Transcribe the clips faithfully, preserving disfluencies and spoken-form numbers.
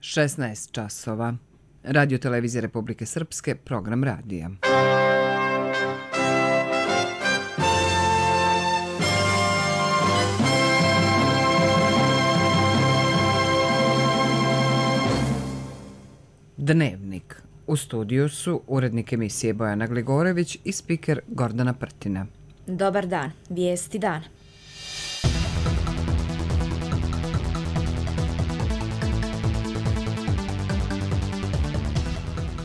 šesnaest časova. Radio Televizije Republike Srpske, program radija. Dnevnik. U studiju su urednik emisije Bojana Gligorević i spiker Gordana Prtina. Dobar dan. Vijesti dana.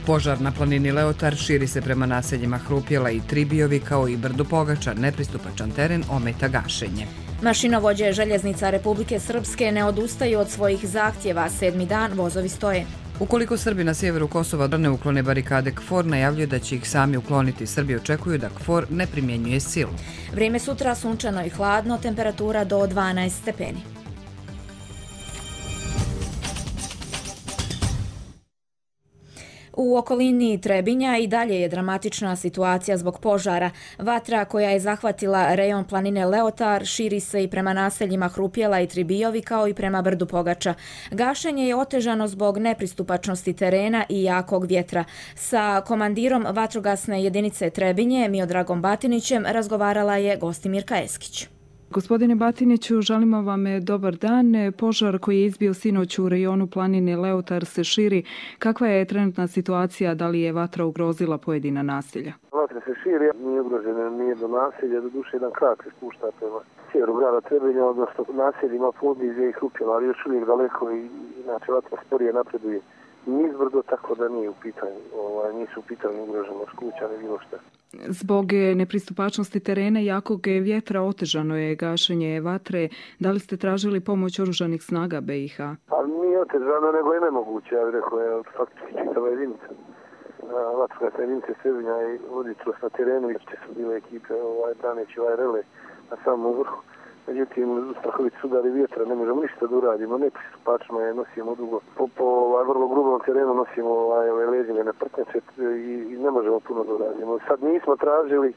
Požar na planini Leotar širi se prema naseljima Hrupjela i Tribijovi kao i Brdu Pogača. Nepristupačan teren ometa gašenje. Mašinovođe željeznica Republike Srpske ne odustaju od svojih zahtjeva. Sedmi dan vozovi stoje. Ukoliko Srbi na sjeveru Kosova ne uklone barikade KFOR, najavljuje da će ih sami ukloniti. Srbi očekuju da KFOR ne primjenjuje silu. Vrijeme sutra sunčano i hladno, temperatura do dvanaest stepeni. U okolini Trebinja i dalje je dramatična situacija zbog požara. Vatra koja je zahvatila rejon planine Leotar širi se i prema naseljima Hrupjela i Tribijovi kao i prema Brdu Pogača. Gašenje je otežano zbog nepristupačnosti terena i jakog vjetra. Sa komandirom vatrogasne jedinice Trebinje, Miodragom Batinićem, razgovarala je Gostimirka Eskić. Gospodine Batiniću, želimo vam dobar dan. Požar koji je izbio sinoć u rejonu planine Leotar se širi. Kakva je trenutna situacija? Da li je vatra ugrozila pojedina naselja? Vatra se širi, nije ugrožena, nije do naselja, do duše jedan krak se spušta prema sjeveru grada Trebinja, odnosno naseljima Podizje i Hrupjela, ali još uvijek daleko i inače vatra sporije napreduje nizbrdo, tako da nije u pitanju, ovaj, nisu u pitanju ugroženost kuća, ne bilo šta. Zbog nepristupačnosti terena i jakog vjetra otežano je gašenje vatre. Da li ste tražili pomoć oružanih snaga B i H? Pa nije otežano, nego je nemoguće, ja bih rekao, je faktički čitava jedinica. Vatrogasna jedinica Trebinja i voditeljost na terenu, i su bile ekipe ovaj, braneći ovaj rele na samom vrhu. Međutim, strahovit sudari vjetra, ne možemo ništa da uradimo, nepristupačno je, nosimo dugo. Po, po ovaj, vrlo grubom terenu nosimo ovaj, ove leđine prtnjače i, i ne možemo puno da uradimo. Sad nismo tražili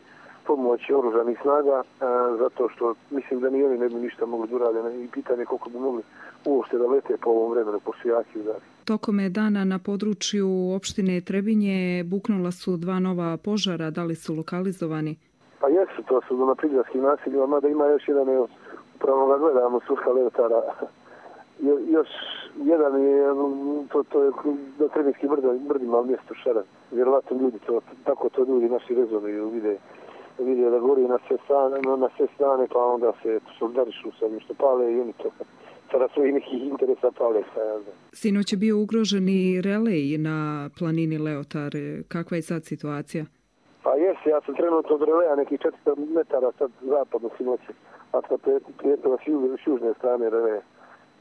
pomoć oružanih snaga, a, zato što mislim da ni oni ne bi ništa mogli da urade i pitanje koliko bi mogli uopšte da lete po ovom vremenu, po su jaki udari. Tokom dana na području opštine Trebinje buknula su dva nova požara, da li su lokalizovani? Pa jesu, to su na prigradskim naseljima, mada ima još jedan, evo, upravo ga gledamo, Surha Leotara. Jo, još jedan je, to, to je do Trebinskih brdima, ali mjesto Šaran. Vjerovatno ljudi, to, tako to ljudi naši rezonuju, vide, vide da gori na sve strane, na sve strane, pa onda se solidarišu sa njim što pale i oni to sada svoji nekih interesa pale. Sinoć je bio ugrožen i relej na planini Leotar. Kakva je sad situacija? Pa jesi, ja sam trenutno od releja nekih četiristo metara sad zapadno sinoći, a sad prijetila s južne strane releja.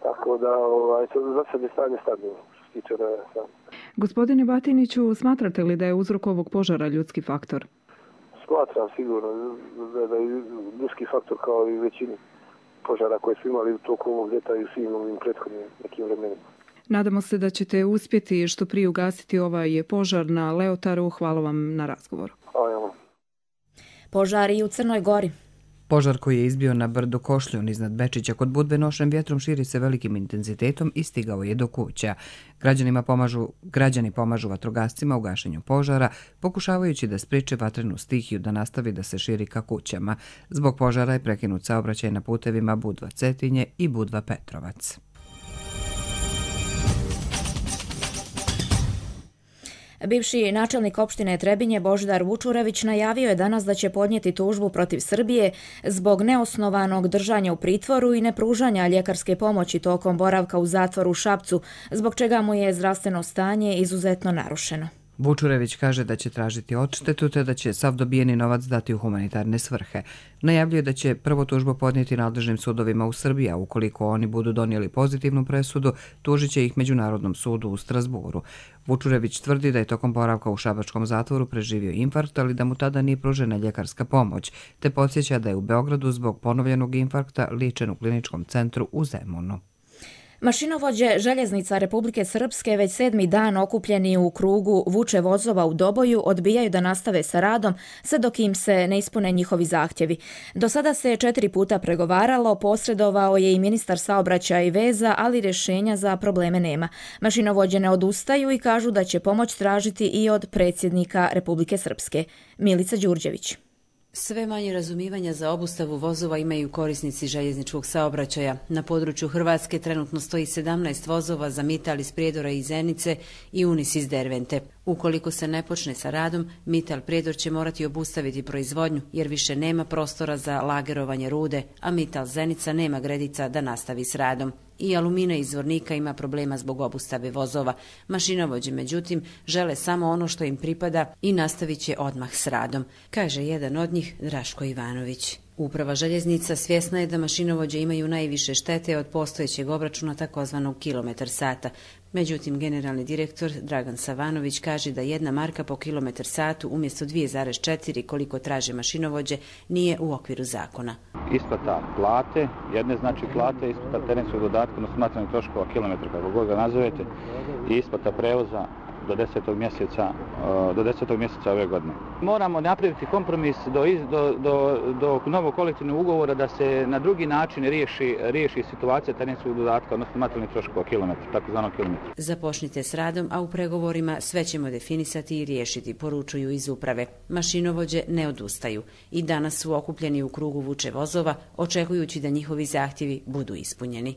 Tako da ovaj, za sad je stanje stabilno što se tiče releja sam. Gospodine Batiniću, smatrate li da je uzrok ovog požara ljudski faktor? Smatram sigurno da, da je ljudski faktor kao i većini požara koje su imali u toku ovog ljeta i u svim ovim prethodnim nekim vremenima. Nadamo se da ćete uspjeti što prije ugasiti ovaj požar na Leotaru. Hvala vam na razgovoru. Požar i u Crnoj Gori. Požar koji je izbio na brdu Košljun iznad Bečića kod Budve nošem vjetrom širi se velikim intenzitetom i stigao je do kuća. Građanima pomažu, građani pomažu vatrogascima u gašenju požara, pokušavajući da spriječe vatrenu stihiju da nastavi da se širi ka kućama. Zbog požara je prekinut saobraćaj na putevima Budva Cetinje i Budva Petrovac. Bivši načelnik opštine Trebinje Božidar Vučurević najavio je danas da će podnijeti tužbu protiv Srbije zbog neosnovanog držanja u pritvoru i nepružanja ljekarske pomoći tokom boravka u zatvoru u Šapcu, zbog čega mu je zdravstveno stanje izuzetno narušeno. Vučurević kaže da će tražiti odštetu te da će sav dobijeni novac dati u humanitarne svrhe. Najavljuje da će prvo tužbu podnijeti nadležnim sudovima u Srbiji, a ukoliko oni budu donijeli pozitivnu presudu, tužit će ih Međunarodnom sudu u Strasburu. Vučurević tvrdi da je tokom boravka u šabačkom zatvoru preživio infarkt, ali da mu tada nije pružena ljekarska pomoć, te podsjeća da je u Beogradu zbog ponovljenog infarkta liječen u kliničkom centru u Zemunu. Mašinovođe željeznica Republike Srpske već sedmi dan okupljeni u krugu vuče vozova u Doboju odbijaju da nastave sa radom sve dok im se ne ispune njihovi zahtjevi. Do sada se četiri puta pregovaralo, posredovao je i ministar saobraćaja i veza, ali rješenja za probleme nema. Mašinovođe ne odustaju i kažu da će pomoć tražiti i od predsjednika Republike Srpske. Milica Đurđević. Sve manje razumijevanja za obustavu vozova imaju korisnici željezničkog saobraćaja. Na području Hrvatske trenutno stoji sedamnaest vozova za Mital iz Prijedora i Zenice i Unis iz Dervente. Ukoliko se ne počne sa radom, Mital Prijedor će morati obustaviti proizvodnju jer više nema prostora za lagerovanje rude, a Mital Zenica nema gredica da nastavi s radom. I Alumina iz Zvornika ima problema zbog obustave vozova. Mašinovođe, međutim, žele samo ono što im pripada i nastavit će odmah s radom, kaže jedan od njih, Draško Ivanović. Uprava željeznica svjesna je da mašinovođe imaju najviše štete od postojećeg obračuna takozvanog kilometar sata. Međutim, generalni direktor Dragan Savanović kaže da jedna marka po kilometar satu umjesto dvije zarez četiri koliko traže mašinovođe nije u okviru zakona. Isplata plate, jedne znači plate, isplata terenskog dodatka, odnosno materijalnih troškova kilometra, kako god ga nazovete, i isplata prevoza do desetog mjeseca, do desetog mjeseca ove godine. Moramo napraviti kompromis do, do, do, do novog kolektivnog ugovora da se na drugi način riješi, riješi situacija terenskog dodatka, odnosno materijalnih troškova kilometra, takozvanog kilometra. Započnite s radom, a u pregovorima sve ćemo definisati i riješiti, poručuju iz uprave. Mašinovođe ne odustaju i danas su okupljeni u krugu vuče vozova, očekujući da njihovi zahtjevi budu ispunjeni.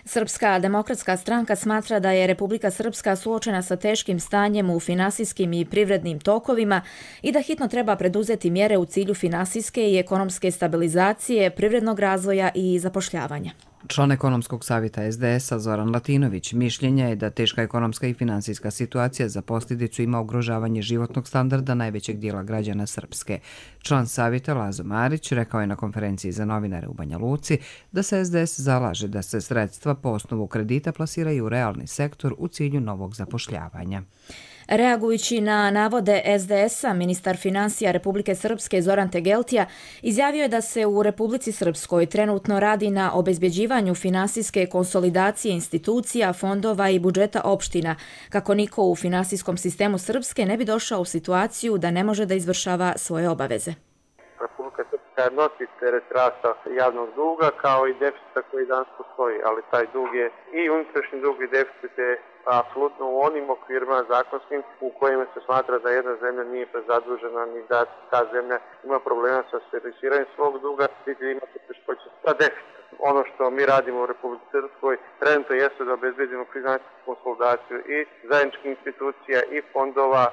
Srpska demokratska stranka smatra da je Republika Srpska suočena sa teškim stanjem u finansijskim i privrednim tokovima i da hitno treba preduzeti mjere u cilju finansijske i ekonomske stabilizacije, privrednog razvoja i zapošljavanja. Član ekonomskog savjeta es de es a Zoran Latinović mišljenja je da teška ekonomska i finansijska situacija za posljedicu ima ugrožavanje životnog standarda najvećeg dijela građana Srpske. Član savjeta Lazo Marić rekao je na konferenciji za novinare u Banja Luci da se es de es zalaže da se sredstva po osnovu kredita plasiraju u realni sektor u cilju novog zapošljavanja. Reagujući na navode es de es a, ministar finansija Republike Srpske Zoran Tegeltija izjavio je da se u Republici Srpskoj trenutno radi na obezbjeđivanju finansijske konsolidacije institucija, fondova i budžeta opština, kako niko u finansijskom sistemu Srpske ne bi došao u situaciju da ne može da izvršava svoje obaveze. Republika Srpska nosi teret rasta javnog duga kao i deficita koji danas postoji, ali taj dug je i unutrašnji dug i deficit je apsolutno u onim okvirima zakonskim u kojima se smatra da jedna zemlja nije prezadužena ni da ta zemlja ima problema sa servisiranjem svog duga, niti ima poteškoća sa deficitom. Ono što mi radimo u Republici Srpskoj trenutno jeste da obezbedimo finansijsku konsolidaciju i zajedničkih institucija i fondova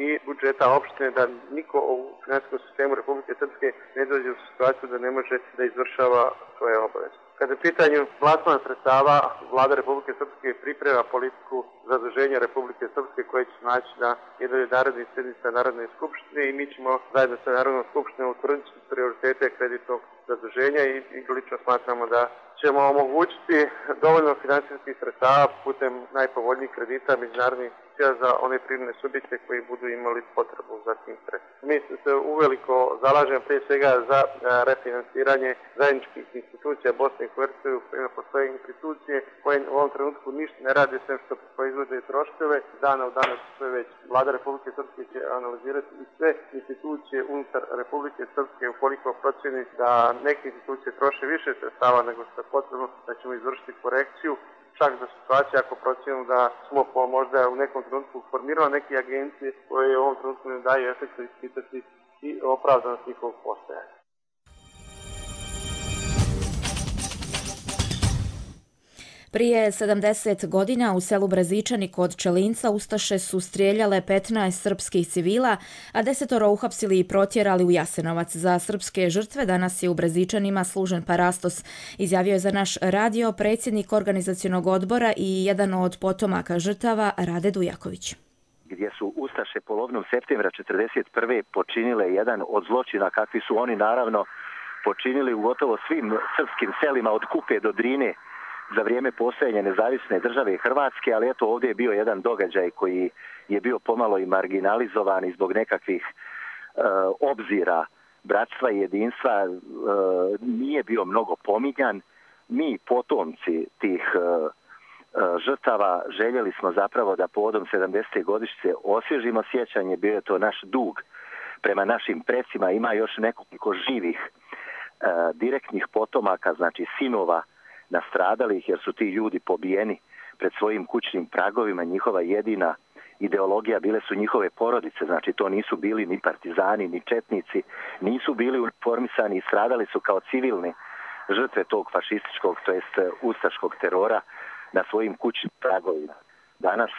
i budžeta opštine, da niko u finansijskom sistemu Republike Srpske ne dođe u situaciju da ne može da izvršava svoje obaveze. Kada je pitanju plasmana sredstava, Vlada Republike Srpske priprema politiku zaduženja Republike Srpske koja će naći na jednoj narednih sjednica Narodne skupštine i mi ćemo zajedno sa Narodnom skupštinom utvrditi prioritete kreditnog zaduženja i, i lično smatramo da ćemo omogućiti dovoljno finansijskih sredstava putem najpovoljnijih kredita međunarodnih za one privredne subjekte koji budu imali potrebu za tim sredstvima. Mi se uveliko zalažemo prije svega za refinansiranje zajedničkih institucija Bosne i Hercegovine, u kojima postoje institucije koje u ovom trenutku ništa ne rade sem što proizvode troškove. Dana u danas sve već Vlada Republike Srpske će analizirati i sve institucije unutar Republike Srpske ukoliko procjeni da neke institucije troše više sredstava nego što je potrebno, da ćemo izvršiti korekciju. Čak za situaciju ako procjenimo da smo po možda u nekom trenutku formirali neke agencije koje u ovom trenutku ne daju efekta ispitati i opravdanost njihovog postojanja. Prije sedamdeset godina u selu Brezičani kod Čelinca ustaše su strijeljale petnaest srpskih civila, a desetoro uhapsili i protjerali u Jasenovac. Za srpske žrtve danas je u Brezičanima služen parastos, izjavio je za naš radio predsjednik organizacionog odbora i jedan od potomaka žrtava Rade Dujaković. Gdje su ustaše polovinom septembra četrdeset prve počinile jedan od zločina kakvi su oni naravno počinili u gotovo svim srpskim selima od Kupe do Drine za vrijeme postojanja nezavisne države Hrvatske, ali eto ovdje je bio jedan događaj koji je bio pomalo i marginalizovan i zbog nekakvih e, obzira bratstva i jedinstva e, nije bio mnogo pominjan. mi potomci tih žrtava željeli smo zapravo da povodom sedamdesete godišnjice osvježimo sjećanje, bio je to naš dug prema našim precima. Ima još nekoliko živih e, direktnih potomaka, znači sinova nastradalih, jer su ti ljudi pobijeni pred svojim kućnim pragovima. Njihova jedina ideologija bile su njihove porodice, znači to nisu bili ni partizani, ni četnici, nisu bili uniformisani i stradali su kao civilni žrtve tog fašističkog, to jest ustaškog terora na svojim kućnim pragovima. Danas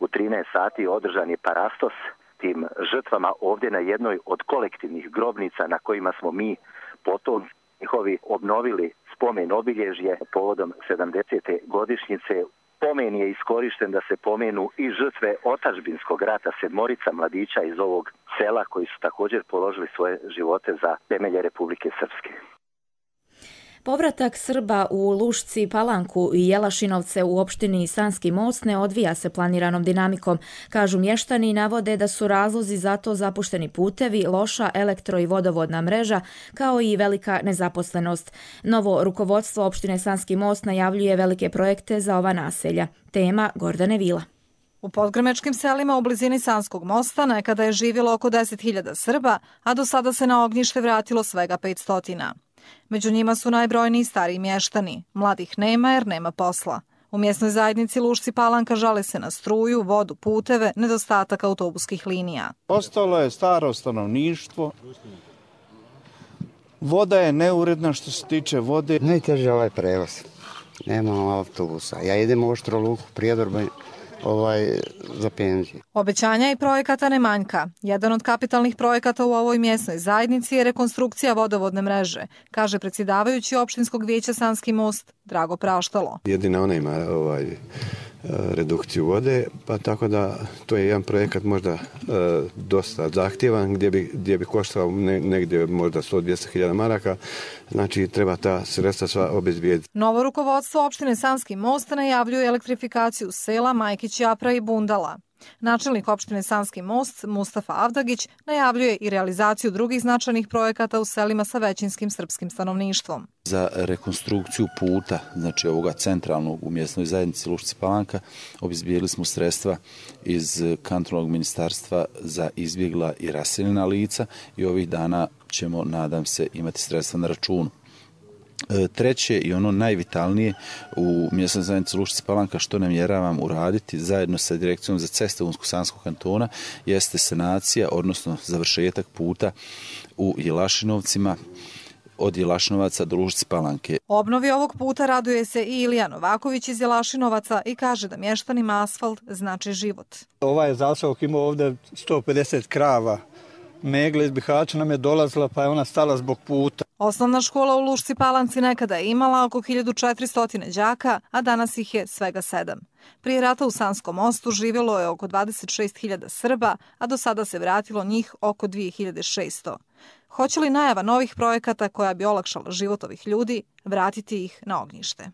u trinaest sati održan je parastos tim žrtvama ovdje na jednoj od kolektivnih grobnica na kojima smo mi potom njihovi obnovili spomen obilježje povodom sedamdesete godišnjice. Pomen je iskorišten da se pomenu i žrtve otadžbinskog rata, sedmorica mladića iz ovog sela koji su također položili svoje živote za temelje Republike Srpske. Povratak Srba u Lušci, Palanku i Jelašinovce u opštini Sanski Most ne odvija se planiranom dinamikom. Kažu mještani i navode da su razlozi za to zapušteni putevi, loša elektro- i vodovodna mreža, kao i velika nezaposlenost. Novo rukovodstvo opštine Sanski Most najavljuje velike projekte za ova naselja. Tema Gordane Vila. U podgrmečkim selima u blizini Sanskog mosta nekada je živjelo oko deset hiljada Srba, a do sada se na ognjište vratilo svega petsto. Među njima su najbrojniji stariji mještani. Mladih nema jer nema posla. U mjesnoj zajednici Lušci Palanka žale se na struju, vodu, puteve, nedostatak autobuskih linija. Ostalo je staro stanovništvo. Voda je neuredna što se tiče vode. Najteže ovaj prevoz. Nema autobusa. Ja idem u Oštro Luku, Prijedor, ovaj, za penziju. Obećanja i projekata ne manjka. Jedan od kapitalnih projekata u ovoj mjesnoj zajednici je rekonstrukcija vodovodne mreže, kaže predsjedavajući opštinskog vijeća Sanski Most Drago Praštalo. Jedina ona ima ovaj, redukciju vode, pa tako da to je jedan projekat možda e, dosta zahtjevan, gdje bi, gdje bi koštao ne, negdje možda sto do dvjesto hiljada maraka, znači treba ta sredstva sva obezbijediti. Novo rukovodstvo opštine Sanski Most najavljuje elektrifikaciju sela Majkić, Japra i Bundala. Načelnik opštine Sanski Most, Mustafa Avdagić, najavljuje i realizaciju drugih značajnih projekata u selima sa većinskim srpskim stanovništvom. Za rekonstrukciju puta, znači ovoga centralnog u mjesnoj zajednici Lušci Palanka, obezbijedili smo sredstva iz kantonalnog ministarstva za izbjegla i raseljena lica i ovih dana ćemo, nadam se, imati sredstva na računu. Treće i ono najvitalnije u mjesnoj zajednici Lušci Palanka što namjeravam uraditi zajedno sa Direkcijom za ceste Unsko-Sanskog kantona jeste sanacija, odnosno završetak puta u Jelašinovcima od Jelašinovaca do Lušci Palanke. Obnovi ovog puta raduje se i Ilija Novaković iz Jelašinovaca i kaže da mještanima asfalt znači život. Ovaj zaseok ima ovdje sto pedeset krava. Megla iz Bihaća nam je dolazila pa je ona stala zbog puta. Osnovna škola u Lušci Palanci nekada je imala oko hiljadu četiristo đaka, a danas ih je svega sedam. Prije rata u Sanskom mostu živjelo je oko dvadeset šest hiljada Srba, a do sada se vratilo njih oko dvije hiljade šesto. Hoće li najava novih projekata koja bi olakšala život ovih ljudi vratiti ih na ognjište?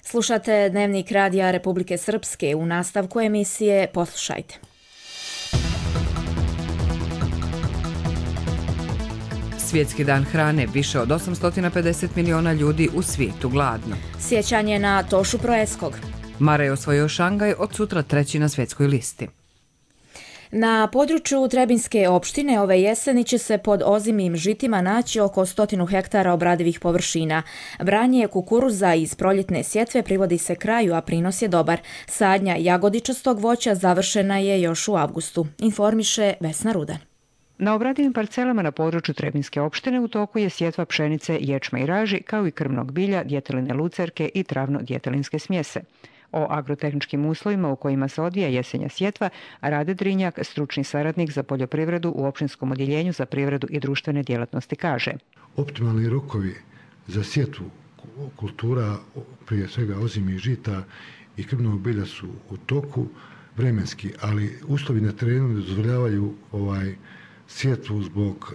Slušate Dnevnik Radija Republike Srpske. U nastavku emisije poslušajte. Svjetski dan hrane, više od osamsto pedeset miliona ljudi u svijetu gladno. Sjećanje na Tošu Proeskog. Mara je osvojio Šangaj, od sutra treći na svjetskoj listi. Na području Trebinske opštine ove jeseni će se pod ozimim žitima naći oko stotinu hektara obradivih površina. Branje kukuruza iz proljetne sjetve privodi se kraju, a prinos je dobar. Sadnja jagodičastog voća završena je još u avgustu, informiše Vesna Rudan. Na obradivim parcelama na području Trebinske opštine u toku je sjetva pšenice, ječma i raži, kao i krmnog bilja, djeteline lucerke i travno-djetelinske smjese. O agrotehničkim uslovima u kojima se odvija jesenja sjetva Rade Drinjak, stručni saradnik za poljoprivredu u opštinskom odjeljenju za privredu i društvene djelatnosti, kaže. Optimalni rokovi za sjetvu kultura, prije svega ozimih žita i krmnog bilja su u toku vremenski, ali uslovi na terenu ne dozvoljavaju ovaj sjetvu zbog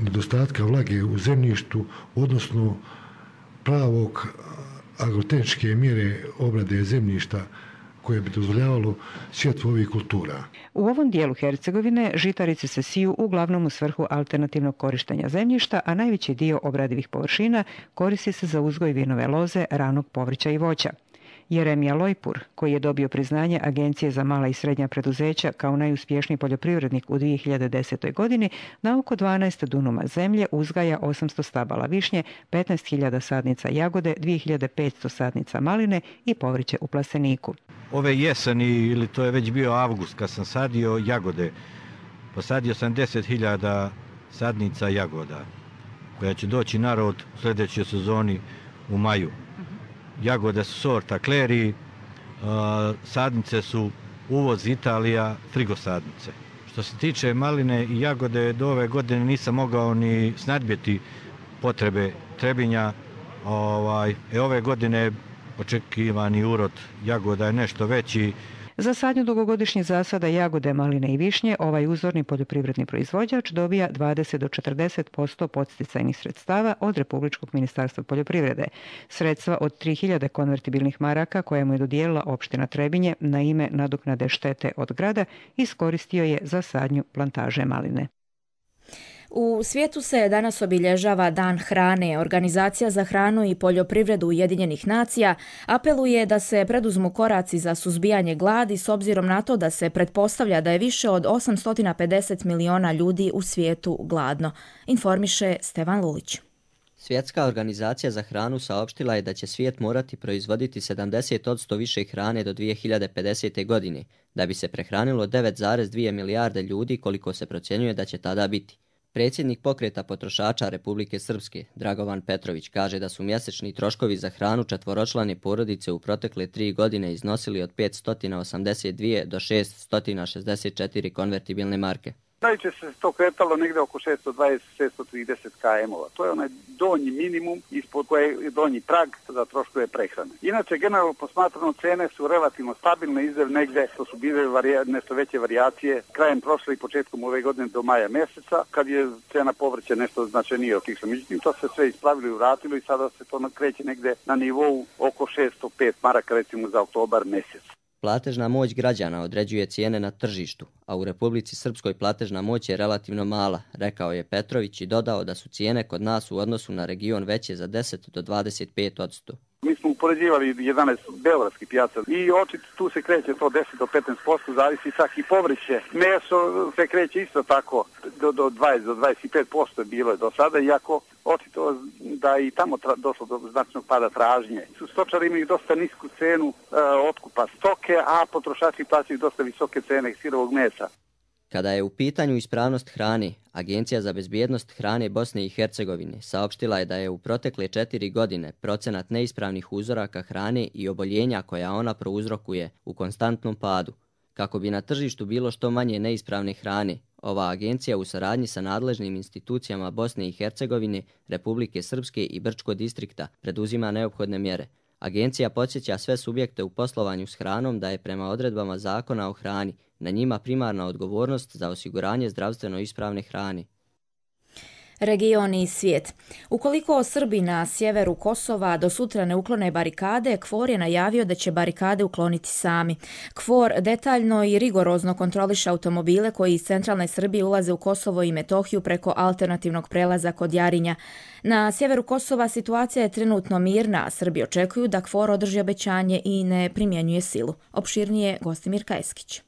nedostatka vlage u zemljištu, odnosno pravog agrotehničke mjere obrade zemljišta koje bi dozvoljavalo sjetvu ovih kultura. U ovom dijelu Hercegovine žitarice se siju uglavnom u svrhu alternativnog korištenja zemljišta, a najveći dio obradivih površina koristi se za uzgoj vinove loze, ranog povrća i voća. Jeremija Lojpur, koji je dobio priznanje Agencije za mala i srednja preduzeća kao najuspješniji poljoprivrednik u dvije hiljade desete. godini, na oko dvanaest dunuma zemlje uzgaja osamsto stabala višnje, petnaest hiljada sadnica jagode, dvije hiljade petsto sadnica maline i povrće u plasteniku. Ove jeseni, ili to je već bio avgust, kad sam sadio jagode, posadio sam deset hiljada sadnica jagoda, koja će doći narod u sljedećoj sezoni u maju. Jagode su sorta Kleri, sadnice su uvoz Italija, frigosadnice. Što se tiče maline i jagode, do ove godine nisam mogao ni snadbjeti potrebe Trebinja. Ovaj, e, ove godine očekivani urod jagoda je nešto veći. Za sadnju dugogodišnjih zasada jagode, maline i višnje ovaj uzorni poljoprivredni proizvođač dobija dvadeset do četrdeset posto podsticajnih sredstava od Republičkog ministarstva poljoprivrede. Sredstva od tri hiljade konvertibilnih maraka koje mu je dodijelila opština Trebinje na ime nadoknade štete od grada iskoristio je za sadnju plantaže maline. U svijetu se danas obilježava Dan hrane. Organizacija za hranu i poljoprivredu Ujedinjenih nacija apeluje da se preduzmu koraci za suzbijanje gladi s obzirom na to da se pretpostavlja da je više od osamsto pedeset miliona ljudi u svijetu gladno. Informiše Stevan Lulić. Svjetska organizacija za hranu saopštila je da će svijet morati proizvoditi sedamdeset posto više hrane do dvije hiljade pedesete. godine, da bi se prehranilo devet zarez dvije milijarde ljudi koliko se procjenjuje da će tada biti. Predsjednik pokreta potrošača Republike Srpske, Dragovan Petrović, kaže da su mjesečni troškovi za hranu četvoročlane porodice u protekle tri godine iznosili od petsto osamdeset dvije do šeststo šezdeset četiri konvertibilne marke. Najčešće se to kretalo negdje oko šesto dvadeset do šesto trideset km-ova. To je onaj donji minimum ispod koje je donji prag za troškove prehrane. Inače, generalno posmatrano, cene su relativno stabilne, izdev negdje, to su bile varija, nešto veće varijacije krajem prošle i početkom ove godine do maja mjeseca, kad je cena povrća nešto značajnije otišla. Međutim, to se sve ispravilo i vratilo i sada se to kreće negdje na nivou oko šesto pet maraka, recimo za oktobar mjesec. Platežna moć građana određuje cijene na tržištu, a u Republici Srpskoj platežna moć je relativno mala, rekao je Petrović i dodao da su cijene kod nas u odnosu na region veće za deset do dvadeset pet posto. Mi smo upoređivali jedanaest beogradskih pijaca i očito tu se kreće to deset do petnaest posto, zavisi čak i povrće. Meso se kreće isto tako do, do dvadeset do dvadeset pet posto je bilo je do sada, iako očito da i tamo tra, došlo do značajnog pada tražnje. Stočari imaju dosta nisku cenu e, otkupa stoke, a potrošači plaćaju dosta visoke cene sirovog mesa. Kada je u pitanju ispravnost hrane, Agencija za bezbjednost hrane Bosne i Hercegovine saopštila je da je u protekle četiri godine procenat neispravnih uzoraka hrane i oboljenja koja ona prouzrokuje u konstantnom padu. Kako bi na tržištu bilo što manje neispravne hrane, ova agencija u saradnji sa nadležnim institucijama Bosne i Hercegovine, Republike Srpske i Brčkog distrikta preduzima neophodne mjere. Agencija podsjeća sve subjekte u poslovanju s hranom da je prema odredbama Zakona o hrani na njima primarna odgovornost za osiguranje zdravstveno ispravne hrane. Region i svijet. Ukoliko Srbi na sjeveru Kosova do sutra ne uklone barikade, KFOR je najavio da će barikade ukloniti sami. KFOR detaljno i rigorozno kontroliše automobile koji iz centralne Srbije ulaze u Kosovo i Metohiju preko alternativnog prelaza kod Jarinja. Na sjeveru Kosova situacija je trenutno mirna, a Srbi očekuju da KFOR održi obećanje i ne primjenjuje silu. Opširnije Gostimir Kajskić.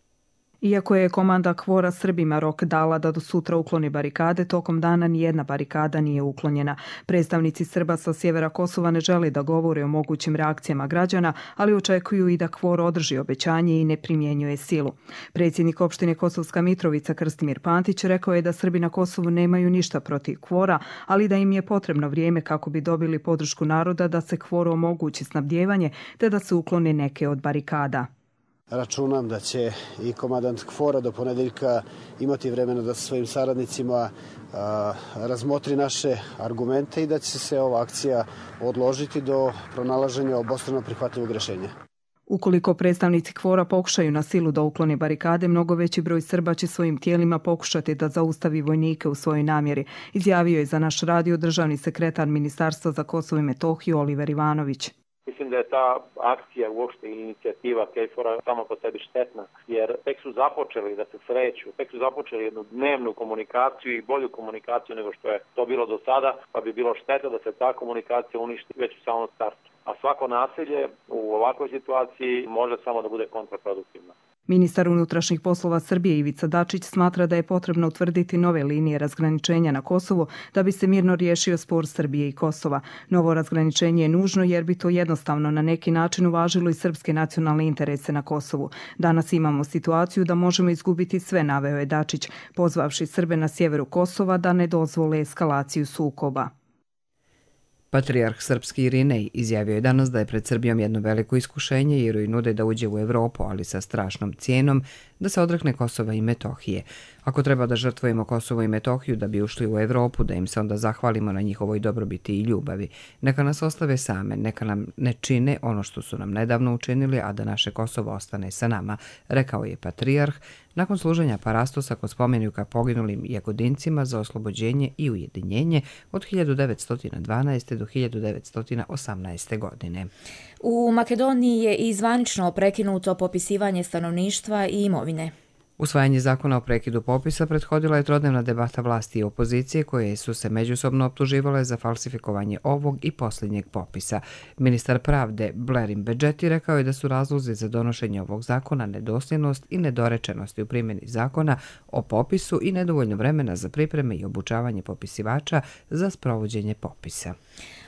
Iako je komanda KFOR-a Srbima rok dala da do sutra ukloni barikade, tokom dana nijedna barikada nije uklonjena. Predstavnici Srba sa sjevera Kosova ne žele da govore o mogućim reakcijama građana, ali očekuju i da KFOR održi obećanje i ne primjenjuje silu. Predsjednik opštine Kosovska Mitrovica Krstimir Pantić rekao je da Srbi na Kosovu nemaju ništa protiv KFOR-a, ali da im je potrebno vrijeme kako bi dobili podršku naroda da se KFOR-u omogući snabdijevanje te da se uklone neke od barikada. Računam da će i komandant KFOR-a do ponedeljka imati vremena da sa svojim saradnicima a, razmotri naše argumente i da će se ova akcija odložiti do pronalaženja obostrano prihvatljivog rješenja. Ukoliko predstavnici KFOR-a pokušaju na silu da uklone barikade, mnogo veći broj Srba će svojim tijelima pokušati da zaustavi vojnike u svojoj namjeri, izjavio je za naš radio državni sekretar Ministarstva za Kosovo i Metohiju Oliver Ivanović. Mislim da je ta akcija uopšte i inicijativa KFOR-a samo po sebi štetna, jer tek su započeli da se sreću, tek su započeli jednu dnevnu komunikaciju i bolju komunikaciju nego što je to bilo do sada, pa bi bilo šteta da se ta komunikacija uništi već u samom startu. A svako nasilje u ovakvoj situaciji može samo da bude kontraproduktivno. Ministar unutrašnjih poslova Srbije Ivica Dačić smatra da je potrebno utvrditi nove linije razgraničenja na Kosovu da bi se mirno riješio spor Srbije i Kosova. Novo razgraničenje je nužno jer bi to jednostavno na neki način uvažilo i srpske nacionalne interese na Kosovu. Danas imamo situaciju da možemo izgubiti sve, naveo je Dačić, pozvavši Srbe na sjeveru Kosova da ne dozvole eskalaciju sukoba. Patrijarh srpski Irinej izjavio je danas da je pred Srbijom jedno veliko iskušenje jer joj nude da uđe u Evropu, ali sa strašnom cijenom da se odrekne Kosova i Metohije. Ako treba da žrtvujemo Kosovo i Metohiju da bi ušli u Evropu, da im se onda zahvalimo na njihovoj dobrobiti i ljubavi. Neka nas ostave same, neka nam ne čine ono što su nam nedavno učinili, a da naše Kosovo ostane sa nama, rekao je patrijarh nakon služenja parastosa kod spomenika poginulim Jagodincima za oslobođenje i ujedinjenje od hiljadu devetsto dvanaeste. do hiljadu devetsto osamnaeste. godine. U Makedoniji je i zvanično prekinuto popisivanje stanovništva i imovine. Usvajanje zakona o prekidu popisa prethodila je trodnevna debata vlasti i opozicije koje su se međusobno optuživale za falsifikovanje ovog i posljednjeg popisa. Ministar pravde Blerim Bedžeti rekao je da su razlozi za donošenje ovog zakona nedosljednost i nedorečenosti u primjeni zakona o popisu i nedovoljno vremena za pripreme i obučavanje popisivača za sprovođenje popisa.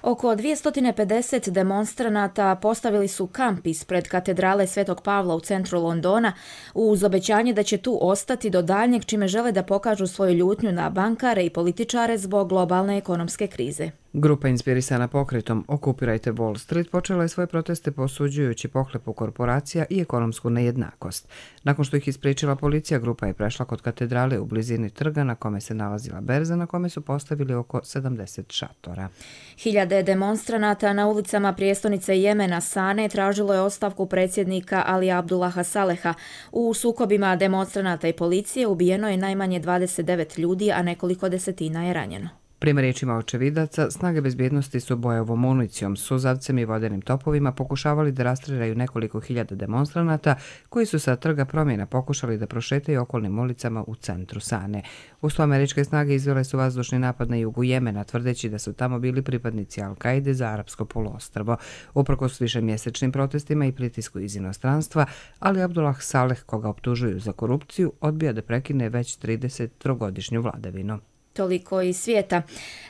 Oko dvjesto pedeset demonstranata postavili su kamp ispred katedrale Svetog Pavla u centru Londona uz obećanje da će tu ostati do daljnjeg, čime žele da pokažu svoju ljutnju na bankare i političare zbog globalne ekonomske krize. Grupa inspirisana pokretom Okupirajte Wall Street počela je svoje proteste posuđujući pohlepu korporacija i ekonomsku nejednakost. Nakon što ih ispričala policija, grupa je prešla kod katedrale u blizini trga na kome se nalazila berza na kome su postavili oko sedamdeset šatora. Hiljade demonstranata na ulicama prijestolnice Jemena Sane tražilo je ostavku predsjednika Ali Abdullaha Saleha. U sukobima demonstranata i policije ubijeno je najmanje dvadeset devet ljudi, a nekoliko desetina je ranjeno. Prema riječima očevidaca, snage bezbjednosti su bojevom municijom, suzavcem i vodenim topovima pokušavali da rastreljaju nekoliko hiljada demonstranata koji su sa trga promjena pokušali da prošetaju okolnim ulicama u centru Sane. Uz to američke snage izvele su vazdušni napad na jugu Jemena, tvrdeći da su tamo bili pripadnici Al-Kaide za Arapsko poluostrvo. Uprkos višemjesečnim protestima i pritisku iz inostranstva, Ali Abdullah Saleh, koga optužuju za korupciju, odbija da prekine već tridesettrogodišnju vladavinu. Toliko iz svijeta.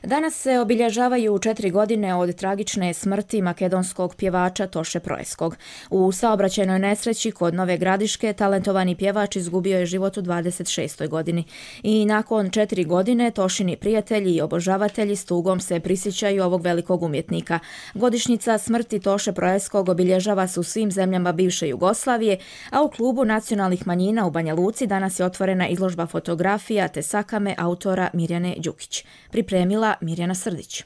Danas se obilježavaju četiri godine od tragične smrti makedonskog pjevača Toše Proeskog. U saobraćajnoj nesreći kod Nove Gradiške talentovani pjevač izgubio je život u dvadeset šestoj godini. I nakon četiri godine Tošini prijatelji i obožavatelji s tugom se prisjećaju ovog velikog umjetnika. Godišnjica smrti Toše Proeskog obilježava se u svim zemljama bivše Jugoslavije, a u klubu nacionalnih manjina u Banja Luci danas je otvorena izložba fotografija te sakame autora Mirjana Mirjane Đukić. Pripremila Mirjana Srdić.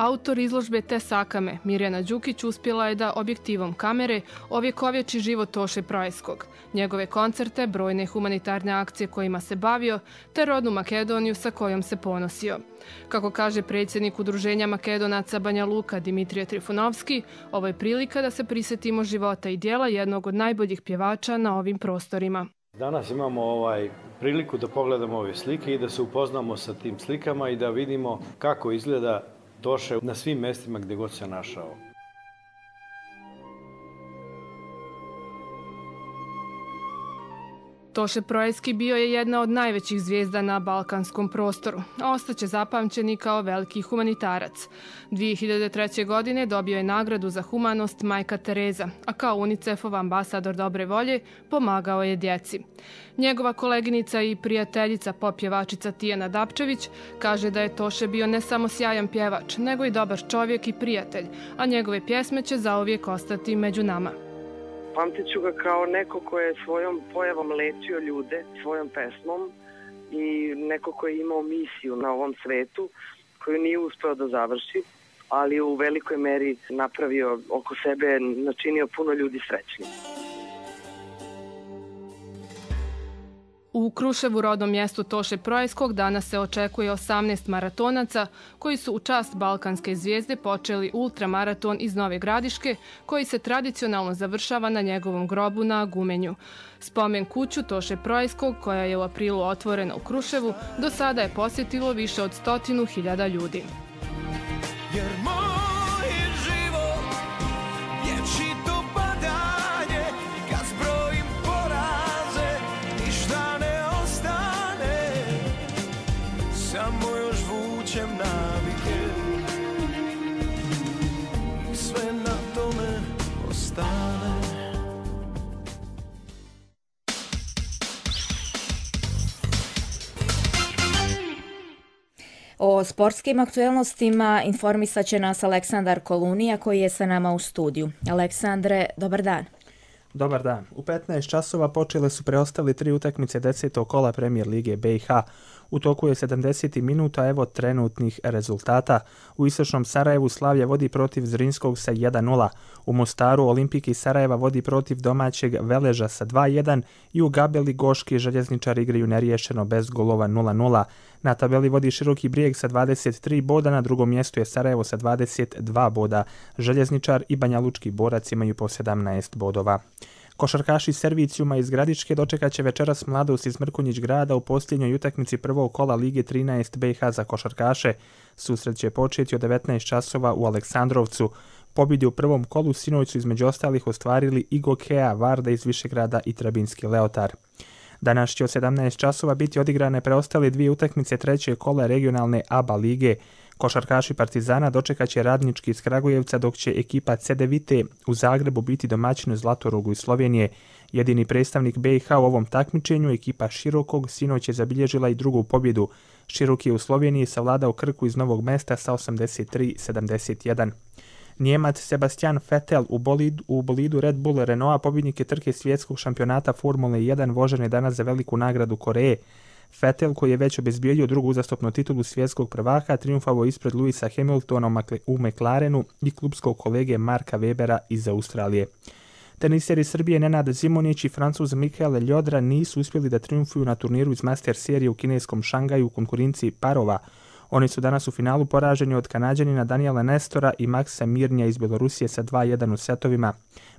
Autor izložbe Te sakame, Mirjana Đukić, uspjela je da objektivom kamere ovjekovječi život Toše Proeskog, njegove koncerte, brojne humanitarne akcije kojima se bavio, te rodnu Makedoniju sa kojom se ponosio. Kako kaže predsjednik Udruženja Makedonaca Banja Luka Dimitrije Trifunovski, ovo je prilika da se prisjetimo života i dijela jednog od najboljih pjevača na ovim prostorima. Danas imamo ovaj priliku da pogledamo ove slike i da se upoznamo sa tim slikama i da vidimo kako izgleda Toše na svim mjestima gdje god se našao. Toše Proeski bio je jedna od najvećih zvijezda na balkanskom prostoru, a ostaće zapamćeni kao veliki humanitarac. dvije hiljade treće. godine dobio je nagradu za humanost Majka Tereza, a kao UNICEF-ov ambasador dobre volje pomagao je djeci. Njegova koleginica i prijateljica pop-pjevačica Tijana Dapčević kaže da je Toše bio ne samo sjajan pjevač, nego i dobar čovjek i prijatelj, a njegove pjesme će zauvijek ostati među nama. Pamtit ću ga kao neko ko je svojom pojavom lečio ljude, svojom pesmom i neko ko je imao misiju na ovom svetu koju nije uspeo da završi, ali u velikoj meri napravio oko sebe, načinio puno ljudi srećnim. U Kruševu, rodnom mjestu Toše Proejskog, danas se očekuje osamnaest maratonaca koji su u čast balkanske zvijezde počeli ultramaraton iz Nove Gradiške, koji se tradicionalno završava na njegovom grobu na Gumenju. Spomen kuću Toše Proejskog, koja je u aprilu otvorena u Kruševu, do sada je posjetilo više od stotinu hiljada ljudi. Jer moj život je čito padanje, kad zbrojim poraze, ništa ne ostane, samo još vučem navike i sve na tome ostane. O sportskim aktuelnostima informisat će nas Aleksandar Kolunija koji je sa nama u studiju. Aleksandre, dobar dan. Dobar dan. U petnaest časova počele su preostali tri utakmice desetog kola Premijer Lige B i H. U toku je sedamdeset minuta, evo trenutnih rezultata. U istočnom Sarajevu Slavlje vodi protiv Zrinskog sa jedan nula. U Mostaru Olimpik iz Sarajeva vodi protiv domaćeg Veleža sa dva jedan i u Gabeli Goški željezničari igraju neriješeno bez golova nula nula. Na tabeli vodi Široki Brijeg sa dvadeset tri boda, na drugom mjestu je Sarajevo sa dvadeset dva boda. Željezničar i Banjalučki Borac imaju po sedamnaest bodova. Košarkaši Servicijuma iz Gradiške dočekat će večeras Mladost iz Mrkonjić Grada u posljednjoj utakmici prvog kola Lige trinaest B i H za košarkaše. Susret će početi od devetnaest časova u Aleksandrovcu. Pobjede u prvom kolu sinoć su između ostalih ostvarili i Gokea, Varda iz Višegrada i Trebinski Leotar. Danas će od sedamnaest časova biti odigrane preostale dvije utakmice trećeg kola regionalne A B A lige. Košarkaši Partizana dočekat će Radnički iz Kragujevca, dok će ekipa C D Vite u Zagrebu biti domaćin Zlatorogu iz Slovenije. Jedini predstavnik B i H u ovom takmičenju, ekipa Širokog, sinoć je zabilježila i drugu pobjedu. Širok je u Sloveniji savladao Krku iz Novog Mesta sa osamdeset tri sedamdeset jedan. Njemac Sebastian Vettel u bolidu, u bolidu Red Bull Renaulta, pobjednik je trke svjetskog šampionata Formule jedan, vožen je danas za veliku nagradu Koreje. Vettel, koji je već obezbijedio drugu uzastopnu titulu svjetskog prvaka, triumfovao ispred Louisa Hamiltona u McLarenu i klubskog kolege Marka Webera iz Australije. Teniseri Srbije Nenad Zimonjić i Francuz Mikael Ljodra nisu uspjeli da triumfuju na turniru iz Master serije u kineskom Šangaju u konkurenciji parova. Oni su danas u finalu poraženi od Kanađanina Daniela Nestora i Maksa Mirnja iz Bjelorusije sa dva jedan u setovima.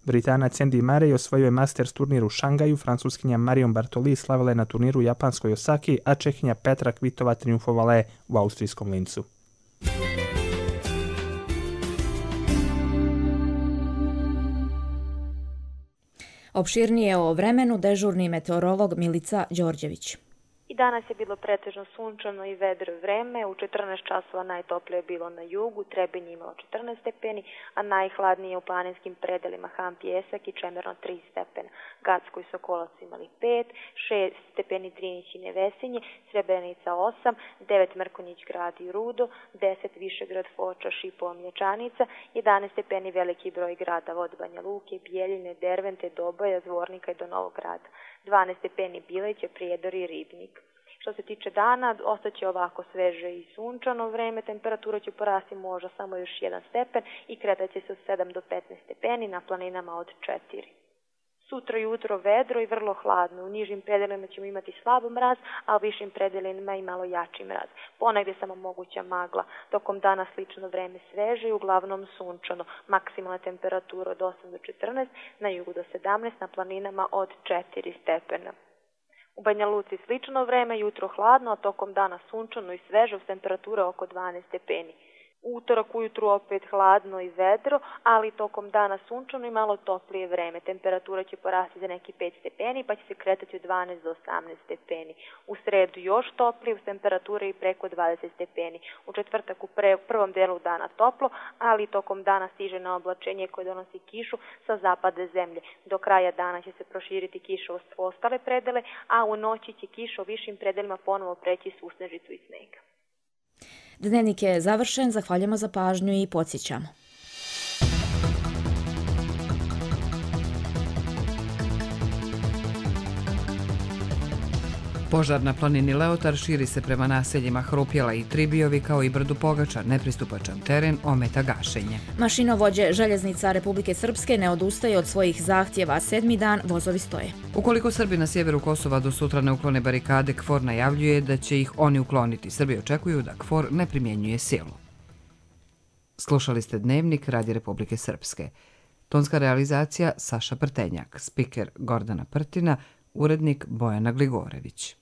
Britanac Andy Murray osvojio je Masters turnir u Šangaju, Francuskinja Marion Bartoli slavila je na turniru u japanskoj Osaki, a Čehinja Petra Kvitova triumfovala je u austrijskom Lincu. Opširnije o vremenu dežurni meteorolog Milica Đorđević. I danas je bilo pretežno sunčano i vedro vreme. U četrnaest časova najtoplije je bilo na jugu, Trebinje imalo četrnaest stepeni, a najhladnije u planinskim predelima Han Pijesak i Čemerno tri stepena. Gacko i Sokolac imali pet, šest stepeni Drinić i Nevesinje, Srebrenica osam, devet Mrkonjić Grad i Rudo, deset Višegrad, Foča, Šipovo, Mlječanica, jedanaest stepeni veliki broj gradova od Banja Luke, Bijeljine, Dervente, Doboja, Zvornika i do Novog Grada. dvanaest stepeni Bileće, Prijedor i Ribnik. Što se tiče dana, ostaće ovako sveže i sunčano vreme, temperatura će porasti možda samo još jedan stepen i kretaće se od sedam do petnaest stepeni, na planinama od četiri. Sutra jutro vedro i vrlo hladno. U nižim predelima ćemo imati slab mraz, a u višim predelima i malo jači mraz. Ponegdje samo moguća magla. Tokom dana slično vreme sveže i uglavnom sunčano. Maksimalna temperatura od osam do četrnaest, na jugu do sedamnaest, na planinama od četiri stepena. U Banja Luci slično vreme, jutro hladno, a tokom dana sunčano i sveže uz temperature oko dvanaest stepeni. Utorak ujutru opet hladno i vedro, ali tokom dana sunčano i malo toplije vreme. Temperatura će porasti za neki pet stepeni, pa će se kretati od dvanaest do osamnaest stepeni. U sredu još toplije, uz temperature i preko dvadeset stepeni. U četvrtak u pre, prvom delu dana toplo, ali tokom dana stiže na oblačenje koje donosi kišu sa zapada zemlje. Do kraja dana će se proširiti kiša u ostale predele, a u noći će kiša u višim predelima ponovo preći susnežicu i snega. Dnevnik je završen, zahvaljujemo za pažnju i podsjećamo. Požar na planini Leotar širi se prema naseljima Hrupjela i Tribijovi kao i Brdu Pogača, nepristupačan teren ometa gašenje. Mašinovođe željeznica Republike Srpske ne odustaju od svojih zahtjeva, sedmi dan vozovi stoje. Ukoliko Srbi na sjeveru Kosova do sutra ne uklone barikade, KFOR najavljuje da će ih oni ukloniti. Srbi očekuju da KFOR ne primjenjuje silu. Slušali ste Dnevnik Radija Republike Srpske. Tonska realizacija Saša Prtenjak, spiker Gordana Prtina, urednik Bojana Gligorević.